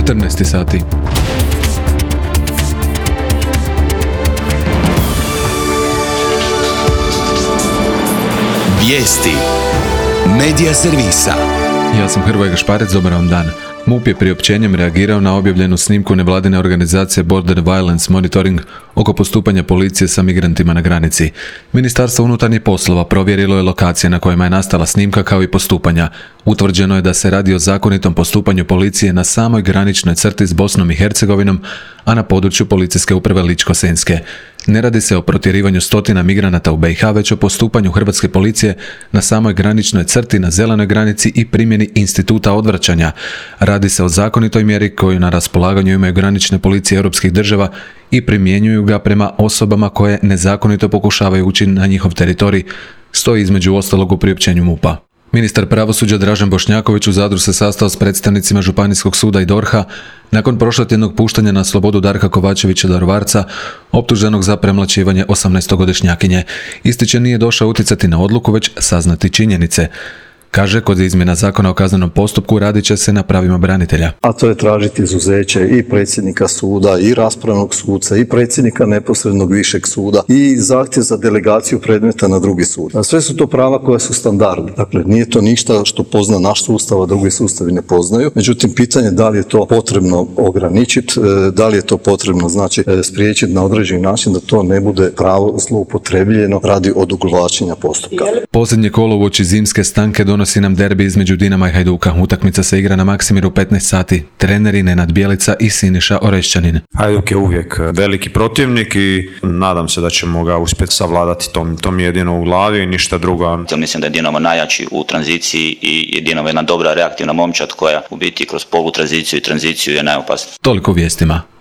14 sati. Vijesti Medija servisa. Ja sam Hrvoje Gašparec, dobar vam dan. MUP je priopćenjem reagirao na objavljenu snimku nevladine organizacije Border Violence Monitoring oko postupanja policije sa migrantima na granici. Ministarstvo unutarnjih poslova provjerilo je lokacije na kojima je nastala snimka kao i postupanja. Utvrđeno je da se radi o zakonitom postupanju policije na samoj graničnoj crti s Bosnom i Hercegovinom, a na području policijske uprave Ličko-senjske. Ne radi se o protjerivanju stotina migranata u BiH, već o postupanju hrvatske policije na samoj graničnoj crti na zelenoj granici i primjeni instituta odvraćanja. Radi se o zakonitoj mjeri koju na raspolaganju imaju granične policije europskih država i primjenjuju ga prema osobama koje nezakonito pokušavaju ući na njihov teritorij, stoji između ostalog u priopćenju MUP-a. Ministar pravosuđa Dražen Bošnjaković u Zadru se sastao s predstavnicima Županijskog suda i DORH-a nakon prošlotjednog puštanja na slobodu Darka Kovačevića Daruvarca, optuženog za premlaćivanje 18-godišnjakinje. Ističe nije došao utjecati na odluku, već saznati činjenice. Kaže, kod izmjena zakona o kaznenom postupku radit će se na pravima branitelja. A to je tražiti izuzeće i predsjednika suda, i raspravnog suca, i predsjednika neposrednog višeg suda, i zahtjev za delegaciju predmeta na drugi sud. A sve su to prava koja su standardna. Dakle, nije to ništa što pozna naš sustav, a drugi sustavi ne poznaju. Međutim, pitanje da li je to potrebno ograničiti, da li je to potrebno, spriječiti na određeni način da to ne bude pravo zloupotrebljeno radi odugovlačenja postupka. Posljednje kolo uoči zimske stanke donosi nam derbi između Dinama i Hajduka. Utakmica se igra na Maksimiru 15 sati. Treneri Nenad Bjelica i Siniša Orešćanin. Hajduk je uvijek veliki protivnik i nadam se da ćemo ga uspjeti savladati. To mi je jedino u glavi i ništa drugo. Mislim da je Dinamo najjači u tranziciji i Dinamo je jedna dobra reaktivna momčad koja u biti kroz polutranziciju i tranziciju je najopasnija. Toliko vijestima.